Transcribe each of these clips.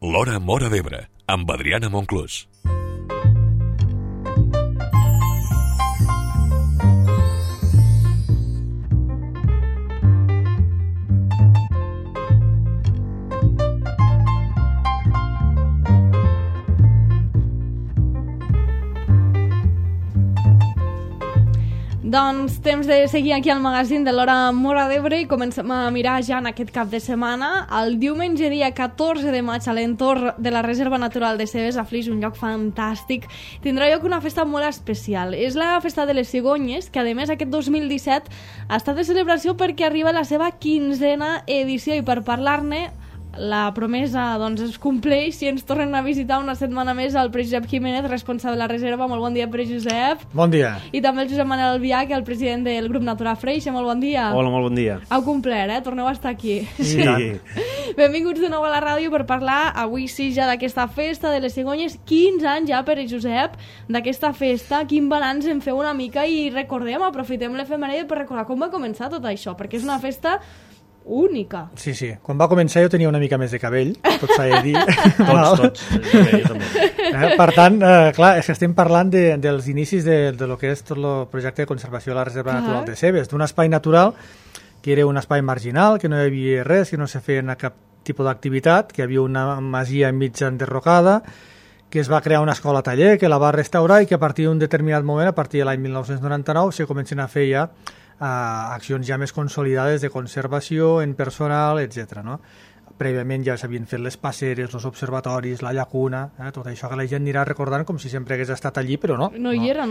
L'Hora Móra d'Ebre, amb Adriana Monclús. Doncs temps de seguir aquí al magazín de l'Hora Móra d'Ebre i comencem a mirar ja en aquest cap de setmana. El diumenge dia 14 de maig a l'entorn de la Reserva Natural de Cebes, a Flix, un lloc fantàstic, tindrà lloc una festa molt especial. És la Festa de les Cigonyes, que a més aquest 2017 ha estat de celebració perquè arriba la seva 15ª edició, i per parlar-ne la promesa doncs es compleix i ens tornen a visitar una setmana més el Pere Josep Jiménez, responsable de la reserva. Molt bon dia, Pere Josep. Bon dia. I també el Josep Manel Albiach, el president del grup Natura Freixa. Molt bon dia. Hola, molt bon dia. Heu complert, torneu a estar aquí. Sí. Benvinguts de nou a la ràdio per parlar avui sí ja d'aquesta festa de les cigonyes. 15 anys ja, Pere Josep, d'aquesta festa. Quin balanç en feu una mica i recordem, aprofitem l'efemèride per recordar com va començar tot això, perquè és una festa única. Sí, sí. Quan va començar jo tenia una mica més de cabell, tot s'ha de dir. Tots. Jo també. Per tant, clar, és que estem parlant dels inicis de lo que és tot el projecte de conservació de la Reserva Natural de Cebes, d'un espai natural que era un espai marginal, que no hi havia res, que no se feia cap tipus d'activitat, que hi havia una masia enmig enderrocada, que es va crear una escola-taller, que la va restaurar i que a partir d'un determinat moment, a partir de l'any 1999, se comencen a fer ja accions ja més consolidades de conservació en personal, etc. No? Prèviament ja s'havien fet les passeres, els observatoris, la llacuna, tot això que la gent anirà recordant com si sempre hagués estat allí, però no. No hi era.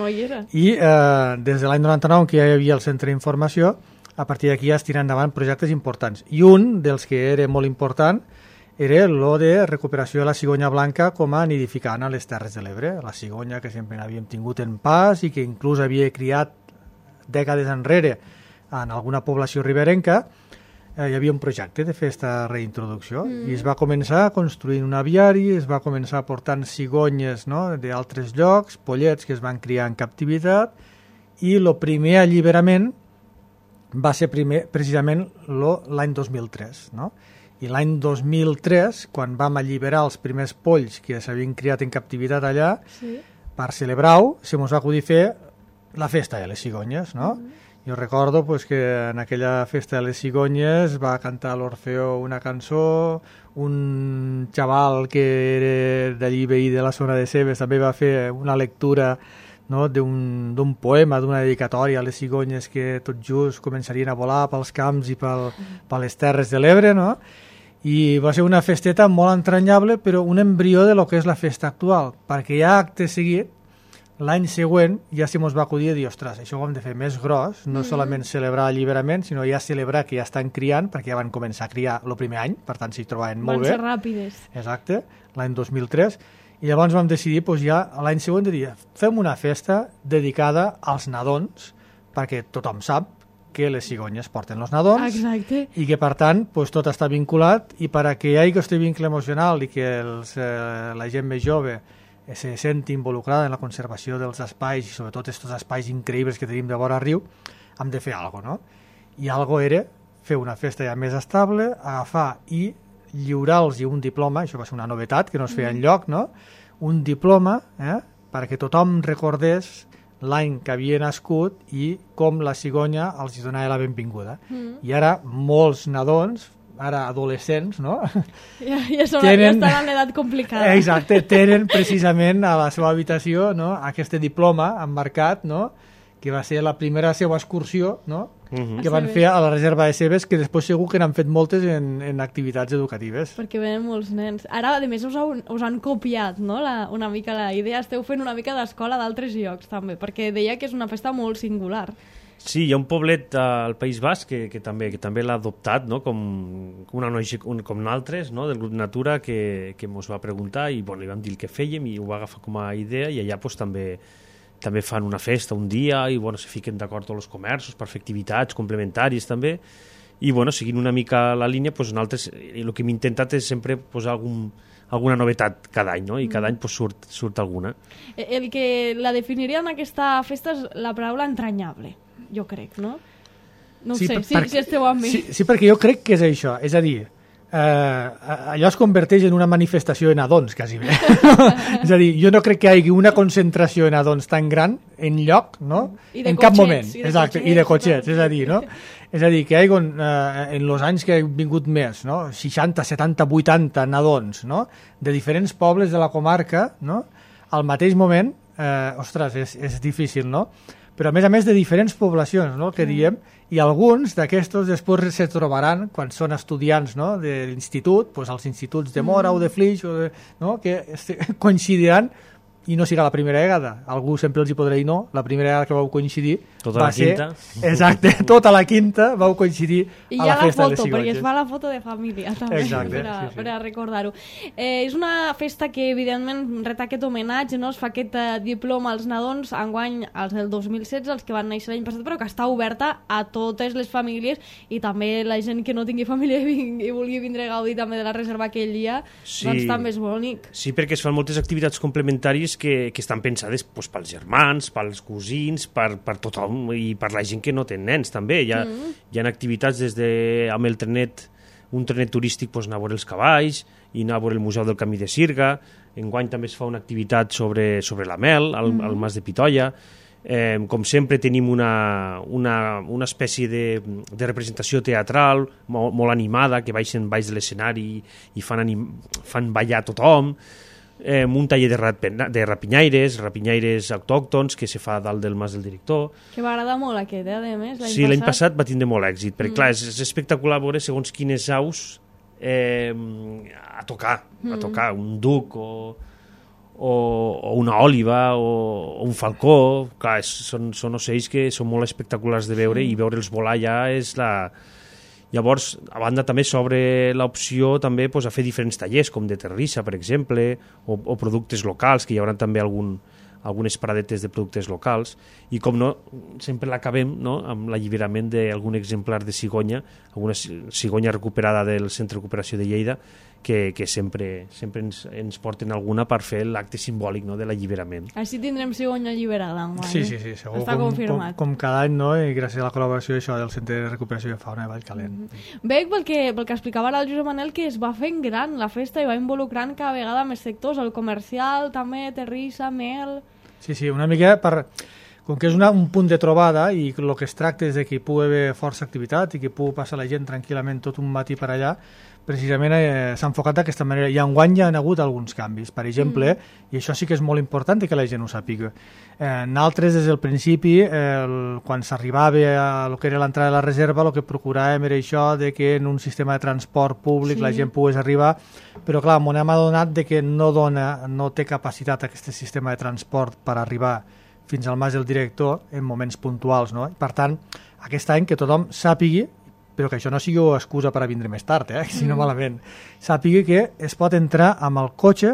I des de l'any 99, que ja hi havia el centre d'informació, a partir d'aquí ja es tiren endavant projectes importants. I un dels que era molt important era lo de recuperació de la cigonya blanca com a nidificant a les Terres de l'Ebre. La cigonya que sempre n'havíem tingut en pas i que inclús havia criat dècades enrere en alguna població riberenca, hi havia un projecte de fer aquesta reintroducció i es va començar construint un aviari, es va començar portant cigonyes, no?, d'altres llocs, pollets que es van criar en captivitat, i el primer alliberament va ser precisament l'any 2003, no? I l'any 2003, quan vam alliberar els primers polls que s'havien criat en captivitat allà, per celebrar-ho, se mos va acudir fer la festa de les cigonyes, no? Jo recordo pues, que en aquella festa de les cigonyes va cantar l'Orfeó una cançó, un xaval que era d'allí veí de la zona de Cebes també va fer una lectura, no?, d'un poema, d'una dedicatòria a les cigonyes que tot just començarien a volar pels camps i per les Terres de l'Ebre, no? I va ser una festeta molt entranyable, però un embrió de lo que és la festa actual, perquè ja acte seguit, l'any següent ja se mos va acudir a dir, ostres, això ho hem de fer més gros, no solament celebrar alliberament, sinó ja celebrar que ja estan criant, perquè ja van començar a criar el primer any, per tant s'hi trobaven molt bé. Van ser ràpides. Exacte, l'any 2003, i llavors vam decidir ja l'any següent de dir, fem una festa dedicada als nadons, perquè tothom sap que les cigonyes porten els nadons. Exacte. I que per tant tot està vinculat, i per a que hi hagi aquest vincle emocional i que la gent més jove se senti involucrada en la conservació dels espais i sobretot aquests espais increïbles que tenim de vora riu, hem de fer alguna cosa, no? I alguna cosa era fer una festa ja més estable, agafar i lliurar-los un diploma, això va ser una novetat que no es feia enlloc, no? Un diploma perquè tothom recordés l'any que havia nascut i com la cigonya els donava la benvinguda. I ara molts nadons, ara adolescents, no? Ja estan en l'edat complicada. Exacte, tenen precisament a la seva habitació, no?, aquest diploma emmarcat, no?, que va ser la primera seva excursió, no?, que van fer a la Reserva de Cebes, que després segur que n'han fet moltes en activitats educatives. Perquè venen molts nens. Ara, a més, us han copiat, no?, una mica la idea. Esteu fent una mica d'escola d'altres llocs, també, perquè deia que és una festa molt singular. Sí, hi ha un poblet al País Basc que també l'ha adoptat, no?, com una noia com nosaltres, no?, del grup Natura, que ens va preguntar i li vam dir el que fèiem i ho va agafar com a idea, i allà també fan una festa un dia i se fiquen d'acord tots els comerços per fer activitats complementàries també, i seguint una mica la línia, nosaltres el que hem intentat és sempre posar alguna novetat cada any, no? I cada any surt alguna. El que la definiria en aquesta festa és la paraula entranyable, jo crec, no? No ho sé, si esteu amb mi. Sí, perquè jo crec que és això, és a dir, allò es converteix en una manifestació de nadons, quasi bé. És a dir, jo no crec que hi hagi una concentració de nadons tan gran en lloc, no? En cap moment. Exacte, i de cotxets, és a dir, no? És a dir, que hi ha en els anys que han vingut més, no? 60, 70, 80 nadons, no? De diferents pobles de la comarca, no? Al mateix moment, ostres, és difícil, no? Però a més de diferents poblacions, no? Que diem, i alguns d'aquestos després se trobaran quan són estudiants, no? De l'institut, doncs als instituts de Mora o de Flix, no? Que coincidiran, i no serà la primera vegada, algú sempre els hi podrà dir no, la primera vegada que vau coincidir tota la quinta. Exacte, tota la quinta vau coincidir a la festa de les cigonyes. Perquè es fa la foto de família també. Exacte, per a recordar-ho. És una festa que evidentment ret aquest homenatge, no? Es fa aquest diploma als nadons, enguany als del 2016, els que van néixer l'any passat, però que està oberta a totes les famílies i també la gent que no tingui família i vulgui vindre a gaudir també de la reserva aquell dia, doncs també és bonic. Sí, perquè es fan moltes activitats complementàries que estan pensades doncs, pels germans, pels cosins, per tothom i per la gent que no té nens també. Hi ha activitats des de amb el trenet, un trenet turístic, doncs, anar a veure els cavalls i anar a veure el Museu del Camí de Sirga. Enguany també es fa una activitat sobre la mel al Mas de Pitoia. Com sempre tenim una espècie de representació teatral molt animada, que baixen baix de l'escenari i fan ballar tothom. Un taller de rapinyaires autòctons que se fa dalt del Mas del Director. Que va agradar molt aquest, a més. Sí, l'any passat va tindre molt èxit, perquè clar, és espectacular veure segons quines aus a tocar, un duc o una òliba o un falcó. Clar, són ocells que són molt espectaculars de veure i veure'ls volar ja és la... Llavors, a banda també s'obre l'opció també a fer diferents tallers, com de terrissa, per exemple, o productes locals, que hi haurà també algunes paradetes de productes locals, i com no, sempre l'acabem, no?, amb l'alliberament d'algun exemplar de cigonya, alguna cigonya recuperada del Centre de Recuperació de Lleida, que sempre ens porten alguna per fer l'acte simbòlic, no?, de l'alliberament. Així tindrem cigonya alliberada enguany. Sí, segur. Està confirmat. Com cada any, no?, i gràcies a la col·laboració d'això del Centre de Recuperació de Fauna de Vallcalent. Veig pel que explicava ara el Josep Manel que es va fent gran la festa i va involucrant cada vegada més sectors, el comercial també, terrissa, mel... Sí, una mica com que és un punt de trobada i el que es tracta és de que hi pugui haver força activitat i que pugui passar la gent tranquil·lament tot un matí per allà, precisament s'ha enfocat d'aquesta manera. I enguany hi ha hagut alguns canvis. Per exemple, i això sí que és molt important que la gent ho sàpiga, nosaltres des del principi, quan s'arribava a lo que era l'entrada de la reserva, el que procuràvem era això de que en un sistema de transport públic la gent pogués arribar, però clar, m'ho hem adonat de que no té capacitat aquest sistema de transport per arribar fins al Mas del Director en moments puntuals, no? Per tant, aquest any que tothom sàpigui, però que això no sigui excusa per a vindre més tard, si no malament, sàpigui que es pot entrar amb el cotxe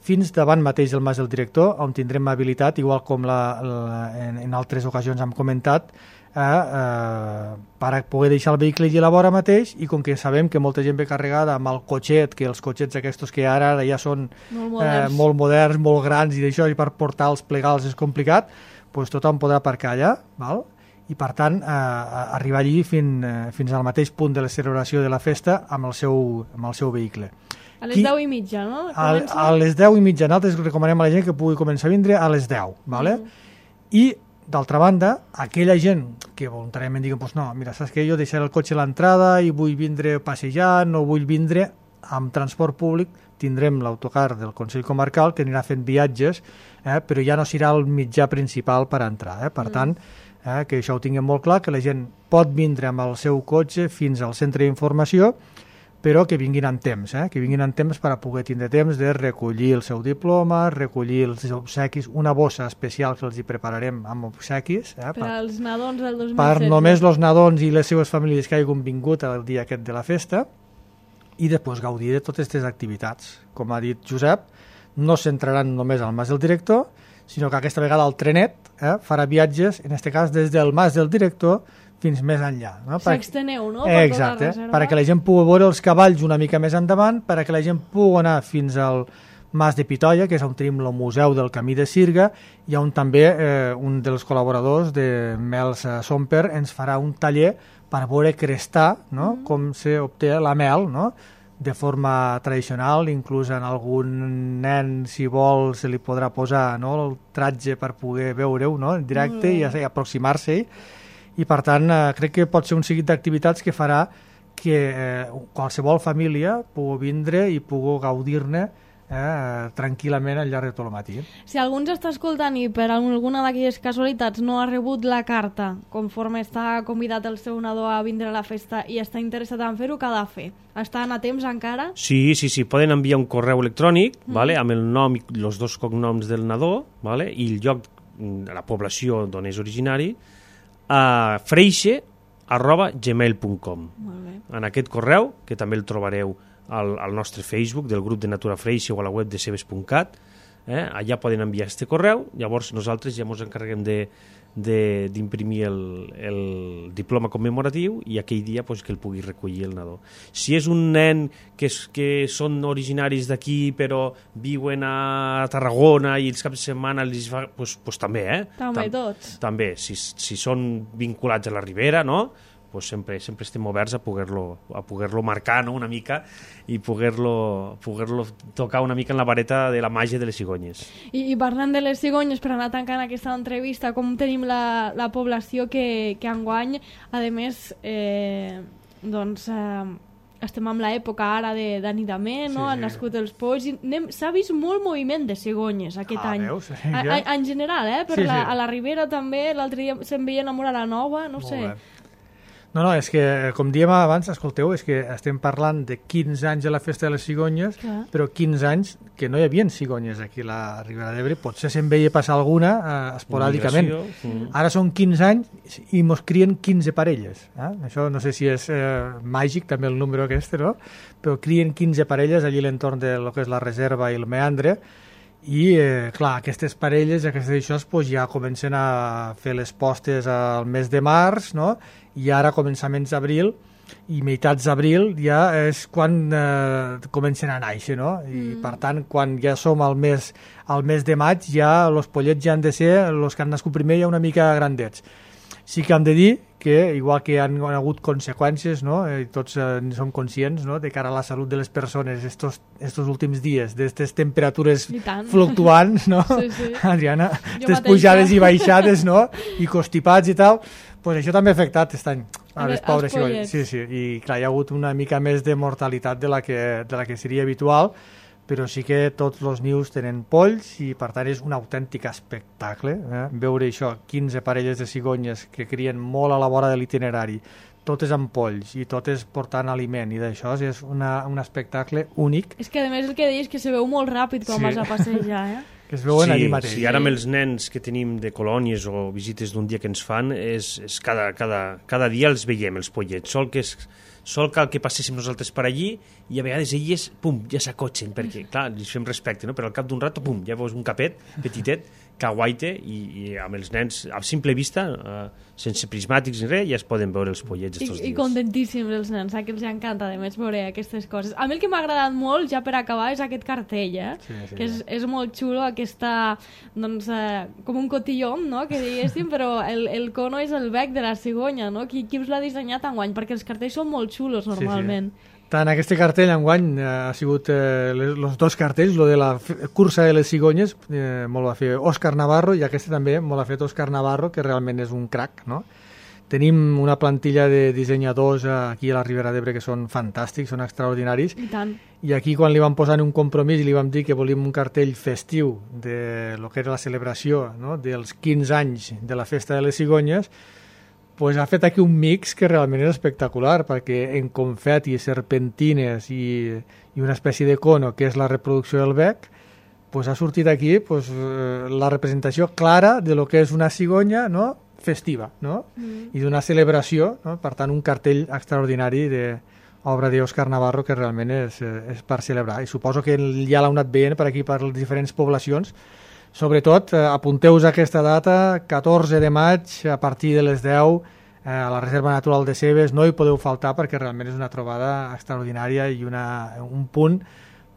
fins davant mateix del Mas del Director, on tindrem habilitat, igual com en altres ocasions hem comentat, per a poder deixar el vehicle allà a la vora mateix, i com que sabem que molta gent ve carregada amb el cotxet, que els cotxets aquests que ara ja són molt moderns, molt grans, i d'això, i per portar-los plegals és complicat, doncs tothom podrà aparcar allà, val? I per tant arribar allí fins al mateix punt de la celebració de la festa amb el seu vehicle. A les 10:30, no? A les 10:30, nosaltres recomanem a la gent que pugui començar a vindre a les 10, ¿vale? I d'altra banda, aquella gent que voluntàriament diguen, pues no, mira, saps que jo deixaré el cotxe a l'entrada i vull vindre passejant o vull vindre amb transport públic, tindrem l'autocar del Consell Comarcal que anirà fent viatges, però ja no serà el mitjà principal per entrar. Per tant, que això ho tinguem molt clar, que la gent pot vindre amb el seu cotxe fins al centre d'informació, però que vinguin amb temps, que vinguin amb temps per a poder tindre temps de recollir el seu diploma, recollir els obsequis, una bossa especial que els hi prepararem amb obsequis. Per als nadons del 2016. Per només els nadons i les seves famílies que hagin vingut el dia aquest de la festa, i després gaudir de totes aquestes activitats. Com ha dit Josep, no es centraran només al Mas del Director, sinó que aquesta vegada el trenet farà viatges, en aquest cas des del Mas del Director fins més enllà. S'exteneu, no? Exacte, perquè la gent pugui veure els cavalls una mica més endavant, perquè la gent pugui anar fins al Mas de Pitoia, que és on tenim el Museu del Camí de Sirga, i on també un dels col·laboradors de Mels Somper ens farà un taller per veure crestar, no? Com s'obté la mel, no? de forma tradicional, inclús en algun nen, si vol, se li podrà posar, no?, el tratge per poder veure-ho, no?, en directe i aproximar-se-hi. I per tant crec que pot ser un seguit d'activitats que farà que qualsevol família pugui vindre i pugui gaudir-ne tranquil·lament al llarg de tot el matí. Si algú ens està escoltant i per alguna d'aquelles casualitats no ha rebut la carta conforme està convidat el seu nadó a vindre a la festa i està interessat en fer-ho, què ha de fer? Estan a temps encara? Sí, poden enviar un correu electrònic vale, amb el nom i els 2 cognoms del nadó vale, i el lloc, la població d'on és originari, a freixe@gmail.com. En aquest correu, que també el trobareu al nostre Facebook del grup de Natura Freixe o a la web de cebes.cat, allà poden enviar este correu, llavors nosaltres ja ens encarreguem d'imprimir el diploma commemoratiu i aquell dia pues, que el pugui recollir el nadó. Si és un nen que són originaris d'aquí però viuen a Tarragona i els caps de setmana pues també, També tots. També, si són vinculats a la Ribera, no?, pues sempre estem oberts a poder-lo marcar, no?, una mica i poder-lo tocar una mica en la vareta de la màgia de les cigonyes. I parlant de les cigonyes, per anar tancant aquesta entrevista, com tenim la població que enguany, a més, estem en l'època ara d'anidament, no? Han nascut els polls, s'ha vist molt moviment de cigonyes aquest any. Veus? En general, a la Ribera també, l'altre dia se'n veien a Mora la Nova, no sé. No, és que, com dèiem abans, escolteu, és que estem parlant de 15 anys de la Festa de les Cigonyes, però 15 anys que no hi havia cigonyes aquí a la Ribera d'Ebre, potser se'n veia passar alguna esporàdicament. Ara són 15 anys i mos crien 15 parelles. Això no sé si és màgic, també el número aquest, no? Però crien 15 parelles allí a l'entorn de lo que és la reserva i el meandre, i clar, aquestes parelles, aquestes d'això, pues, ja comencen a fer les postes al mes de març, no?, i ara a començaments d'abril i meitats d'abril ja és quan comencen a néixer, no? I per tant, quan ja som al mes de maig, ja els pollets ja han de ser els que han nascut primer ja una mica grandets. Sí que hem de dir que, igual que han hagut conseqüències, no?, i tots en som conscients, no?, de cara a la salut de les persones estos últims dies, d'aquestes temperatures fluctuants, no? Sí. Adriana, aquestes pujades i baixades, no?, i constipats i tal, pues això també ha afectat aquest any a les pobres cigonyes. Sí, i clar, hi ha hagut una mica més de mortalitat de la que seria habitual, però sí que tots els nius tenen polls i per tant és un autèntic espectacle veure això, 15 parelles de cigonyes que crien molt a la vora de l'itinerari, totes amb polls i totes portant aliment, i d'això és un espectacle únic. És que a més el que deies que se veu molt ràpid quan vas a passejar, que es veuen allí mateix. Sí, ara amb els nens que tenim de colònies o visites d'un dia que ens fan, és cada dia els veiem, els pollets. Sol cal que passéssim nosaltres per allí i a vegades elles, pum, ja s'acotxen, perquè, clar, li fem respecte, no? Però al cap d'un rato, pum, ja veus un capet petitet que aguaita i amb els nens, a simple vista, sense prismàtics ni res, ja es poden veure els pollets estos dies. I contentíssims els nens, que els encanta, a més, veure aquestes coses. A mi el que m'ha agradat molt, ja per acabar, és aquest cartell, que és molt xulo, aquesta, doncs, com un cotillon, no?, que diguéssim, però el cono és el bec de la cigonya, no? Qui us l'ha dissenyat enguany? Perquè els cartells són molt xulos, normalment. Sí. Tant aquest cartell enguany ha sigut els 2 cartells, lo de la cursa de les cigonyes, molt va fer Òscar Navarro, i aquest també molt ha fet Òscar Navarro, que realment és un crac, no? Tenim una plantilla de dissenyadors aquí a la Ribera d'Ebre que són fantàstics, són extraordinaris. I tant. I aquí quan li vam posar un compromís i li vam dir que volíem un cartell festiu de lo que era la celebració, no?, dels 15 anys de la Festa de les Cigonyes, pues ha fet aquí un mix que realment és espectacular, perquè en confeti, serpentines i una espècie de cono, que és la reproducció del bec, pues ha sortit aquí pues, la representació clara de lo que és una cigonya, no?, festiva, no? I d'una celebració, no? Per tant, un cartell extraordinari d'obra d'Òscar Navarro que realment és per celebrar. I suposo que ja l'heu anat veient per aquí, per les diferents poblacions. Sobretot, apunteu-vos a aquesta data, 14 de maig, a partir de les 10, a la Reserva Natural de Cebes. No hi podeu faltar perquè realment és una trobada extraordinària i un punt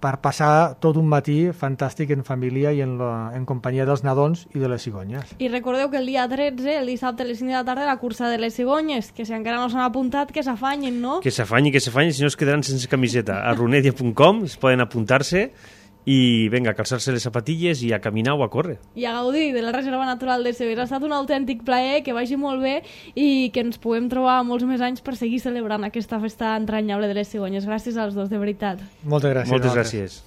per passar tot un matí fantàstic en família i en companyia dels nadons i de les cigonyes. I recordeu que el dia 13, el dissabte a les 5 de la tarda, la cursa de les cigonyes, que si encara no s'han apuntat, que s'afanyen, no? Que s'afanyin, si no es quedaran sense camiseta. A runedia.com es poden apuntar-se i vinga, a calçar-se les zapatilles i a caminar o a córrer. I a gaudir de la Reserva Natural de Cebes. Ha estat un autèntic plaer, que vagi molt bé i que ens puguem trobar molts més anys per seguir celebrant aquesta festa entranyable de les cigonyes. Gràcies als dos, de veritat. Moltes gràcies. Moltes gràcies.